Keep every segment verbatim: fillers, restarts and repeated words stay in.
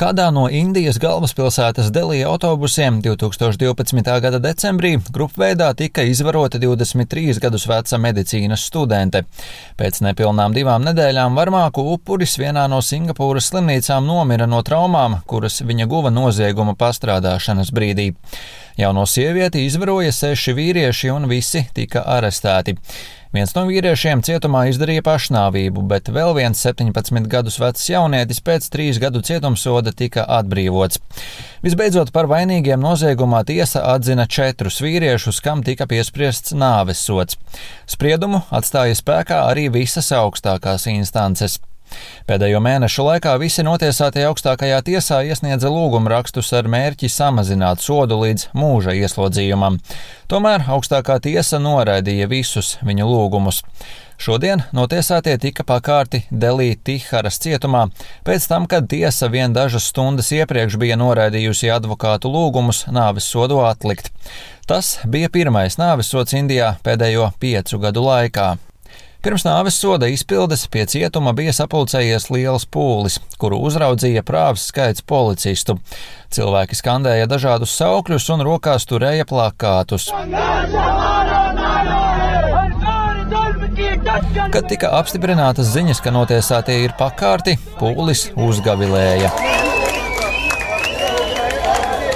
Kādā no Indijas galvaspilsētas Delija autobusiem divtūkstoš divpadsmitā gada decembrī grupveidā tika izvarota divdesmit trīs gadus veca medicīnas studente. Pēc nepilnām divām nedēļām varmāku upuris vienā no Singapūras slimnīcām nomira no traumām, kuras viņa guva nozieguma pastrādāšanas brīdī. Jauno sievieti izvaroja seši vīrieši un visi tika arestēti. Viens no vīriešiem cietumā izdarīja pašnāvību, bet vēl viens septiņpadsmit gadus vecs jaunietis pēc trīs gadu cietumsoda tika atbrīvots. Visbeidzot, par vainīgiem noziegumā tiesa atzina četrus vīriešus, kam tika piespriests nāves sods. Spriedumu atstāja spēkā arī visas augstākās instances. Pēdējo mēnešu laikā visi notiesātie augstākajā tiesā iesniedza lūgumrakstus ar mērķi samazināt sodu līdz mūža ieslodzījumam. Tomēr augstākā tiesa noraidīja visus viņu lūgumus. Šodien notiesātie tika pakārti Delī Tiharas cietumā, pēc tam, kad tiesa vien dažas stundas iepriekš bija noraidījusi advokātu lūgumus nāves sodu atlikt. Tas bija pirmais nāves sods Indijā pēdējo piecu gadu laikā. Pirms nāves soda izpildes pie cietuma bija sapulcējies liels pūlis, kuru uzraudzīja prāvs skaits policistu. Cilvēki skandēja dažādus saukļus un rokās turēja plakātus. Kad tika apstiprinātas ziņas, ka notiesātie ir pakārti, pūlis uzgavilēja.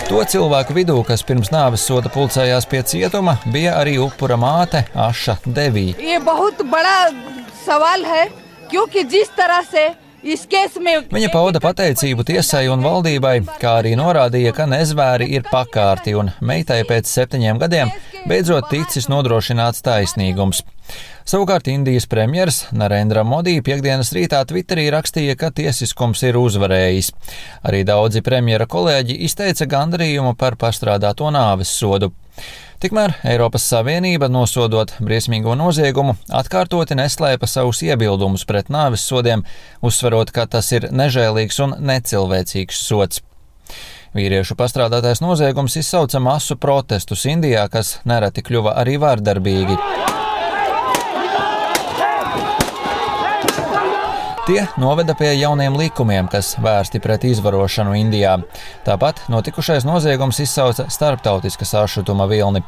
To cilvēku vidū, kas pirms nāves soda pulcējās pie cietuma, bija arī upura māte Aša Devī. Viņa pauda pateicību tiesai un valdībai, kā arī norādīja, ka nezvēri ir pakārti un meitai pēc septiņiem gadiem beidzot ticis nodrošināts taisnīgums. Savukārt Indijas premjers Narendra Modi piekdienas rītā Twitterī rakstīja, ka tiesiskums ir uzvarējis. Arī daudzi premjera kolēģi izteica gandarījumu par pastrādāto nāves sodu. Tikmēr Eiropas Savienība, nosodot briesmīgo noziegumu, atkārtoti neslēpa savus iebildumus pret nāves sodiem, uzsverot, ka tas ir nežēlīgs un necilvēcīgs sods. Vīriešu pastrādātais noziegums izsauca masu protestus Indijā, kas nereti kļuva arī vārdarbīgi. Tie noveda pie jauniem likumiem, kas vērsti pret izvarošanu Indijā. Tāpat notikušais noziegums izsauca starptautiskas sašutuma vilni.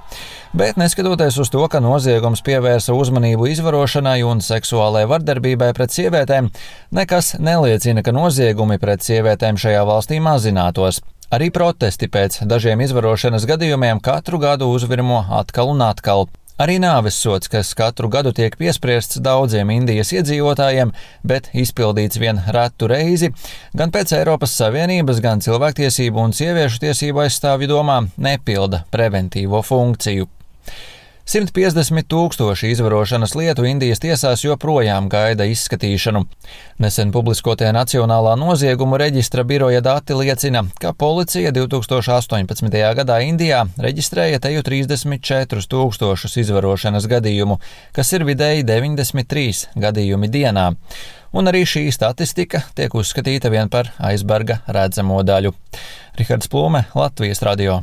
Bet neskatoties uz to, ka noziegums pievērsa uzmanību izvarošanai un seksuālai vardarbībai pret sievietēm, nekas neliecina, ka noziegumi pret sievietēm šajā valstī mazinātos. Arī protesti pēc dažiem izvarošanas gadījumiem katru gadu uzvirmo atkal un atkal. Arī nāves sods, kas katru gadu tiek piespriests daudziem Indijas iedzīvotājiem, bet izpildīts vien retu reizi, gan pēc Eiropas Savienības, gan cilvēktiesību un sieviešu tiesību aizstāvju domā nepilda preventīvo funkciju. simt piecdesmit tūkstoši izvarošanas lietu Indijas tiesās joprojām gaida izskatīšanu. Nesen publiskotie Nacionālā noziegumu reģistra biroja dati liecina, ka policija divtūkstoš astoņpadsmitajā gadā Indijā reģistrēja teju trīsdesmit četrus tūkstošus izvarošanas gadījumu, kas ir vidēji deviņdesmit trīs gadījumi dienā. Un arī šī statistika tiek uzskatīta vien par aizberga redzamo daļu. Rihards Plūme, Latvijas radio.